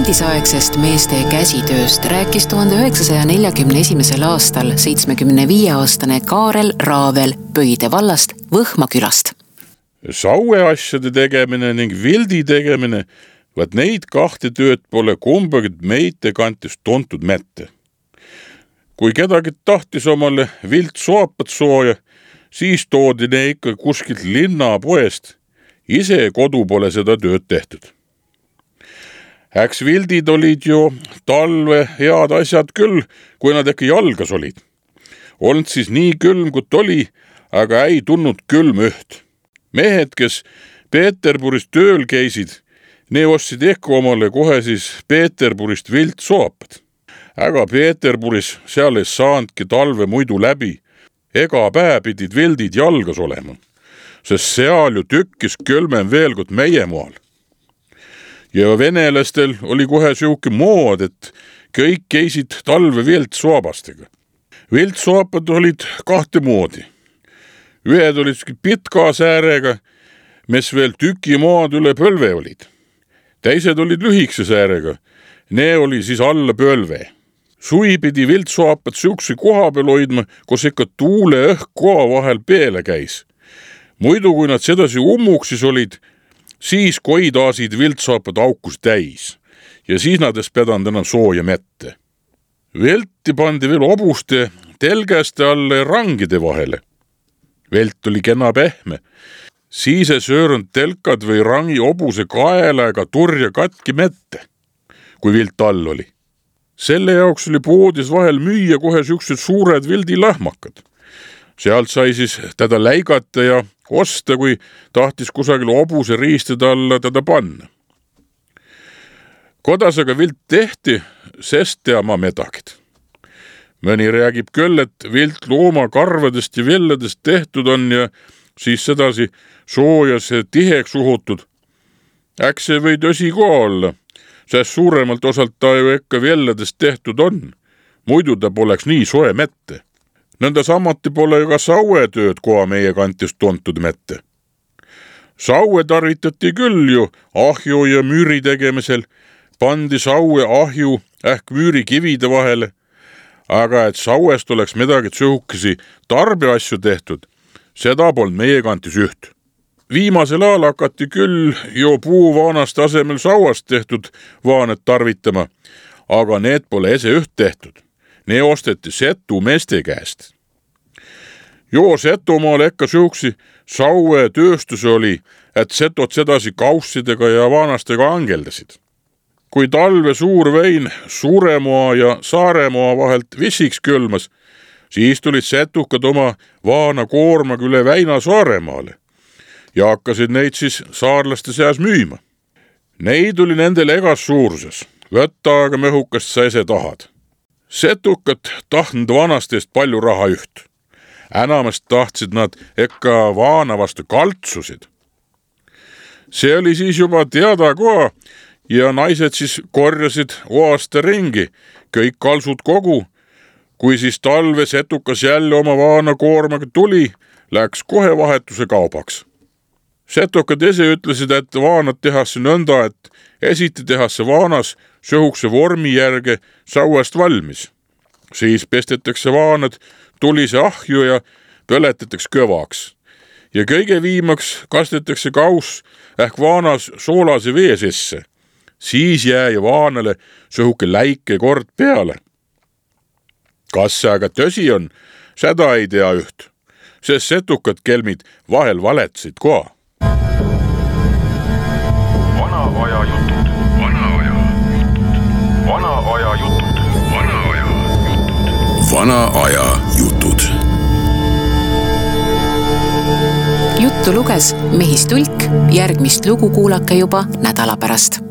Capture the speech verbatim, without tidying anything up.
endisaegsest meeste käsitööst rääkis tuhande üheksasaja neljakümne esimesel aastal seitsmekümne viie aastane Kaarel Raavel Pöide vallast Võhma külast. Saueasjade tegemine ning vildi tegemine, vaat neid kahte tööd pole kumbagid meite kantis tuntud mätte. Kui kedagi tahtis omale vilt soapat sooja, siis toodi ne ikka kuskilt linnapoest. Ise kodu pole seda tööd tehtud. Äks vildid olid ju talve head asjad küll, kui nad äkki jalgas olid. Olnud siis nii külm, kui oli, aga ei tunnud külm üht. Mehed, kes Peterburist tööl käisid, ne ostsid ehk omale kohe siis Peterburist vilt soapat. Aga Peterburis seal ei saanudki talve muidu läbi. Ega päev pidid vildid jalgas olema, sest seal ju tükkis külmem veel kui meie maal. Ja venelastel oli kohe siuke mood, et kõik käisid talve viltsoapastega. Viltsoapad olid kahte moodi. Ühed olid pitka säärega, mis veel tüki maad üle pölve olid. Teised olid lühikse säärega, ne oli siis alla pölve. Sui pidi viltsoapad siukse koha peal hoidma, kus ikka tuule õhk koha vahel peale käis. Muidu, kui nad sedasi ummuksis olid, siis koidaasid viltsoapad aukus täis ja siis nad es pedanud enam sooja mette. Velti pandi veel obuste, telgeste alle rangide vahele. Velt oli kena pehme. Siis ei söörnud telkad või rangi obuse kaela ega turja katki mette, kui vilt all oli. Selle jaoks oli poodis vahel müüa kohe siuksed suured vildilahmakad. Sealt sai siis teda läigata ja osta, kui tahtis kusagil obuse riistede alla teda panna. Kodas aga vilt tehti, sest tea ma medagid. Mõni räägib küll, et vilt looma karvadest ja villadest tehtud on ja siis sedasi soojas tiheks uhutud. Äks see või tõsi ka olla, sest suuremalt osalt ta ju ekka villadest tehtud on. Muidu ta poleks nii soe mette. Nõnda samati pole ju ka sauetööd koha meie kantis tuntud mette. Saue tarvitati küll ju ahju ja müüri tegemisel, pandi saue ahju ähk müüri kivide vahele, aga et sauest oleks midagi tsõhukesi tarbeasju tehtud, seda polnud meie kantis üht. Viimasel ajal hakati küll jo puuvaanast asemel sauast tehtud vaanet tarvitama, aga need pole ese üht tehtud. Ne osteti Setu meeste käest. Jo Setumaal ekka siuksi saue tööstus oli, et setot sedasi kaussidega ja vaanastega angeldasid. Kui talve suur vein Suuremoa ja Saaremoa vahelt vissiks külmas, siis tulid setukad oma vaana koormaga üle väina Saaremaale ja hakkasid neid siis saarlaste seas müüma. Neid oli nendel egas suuruses, võtta aga mehukast sa ise tahad. Setukad tahtnud vanastest palju raha üht. Enamast tahtsid nad ekka vaana vastu kaltsusid. See oli siis juba teada koha ja naised siis korjasid oasta ringi, kõik kalsud kogu. Kui siis talve setukas jälle oma vaana koormaga tuli, läks kohe vahetuse kaubaks. Setukad ise ütlesid, et vaanad tehase nõnda, et esiti tehase vaanas sõhukse vormi järge sauast valmis. Siis pestetakse vaanad tulise ahju ja põletatakse kõvaks. Ja kõige viimaks kastetakse kaus ehk vaanas soolase vee sisse. Siis jää vaanale sõhuke läike kord peale. Kas see aga tõsi on, seda ei tea üht, sest setukad kelmid vahel valetsid koha. Vana aja jutud, vana aja jutud, vana aja jutud, vana aja jutud, vana aja jutud. Juttu luges Mehis Tulk, järgmist lugu kuulake juba nädala pärast.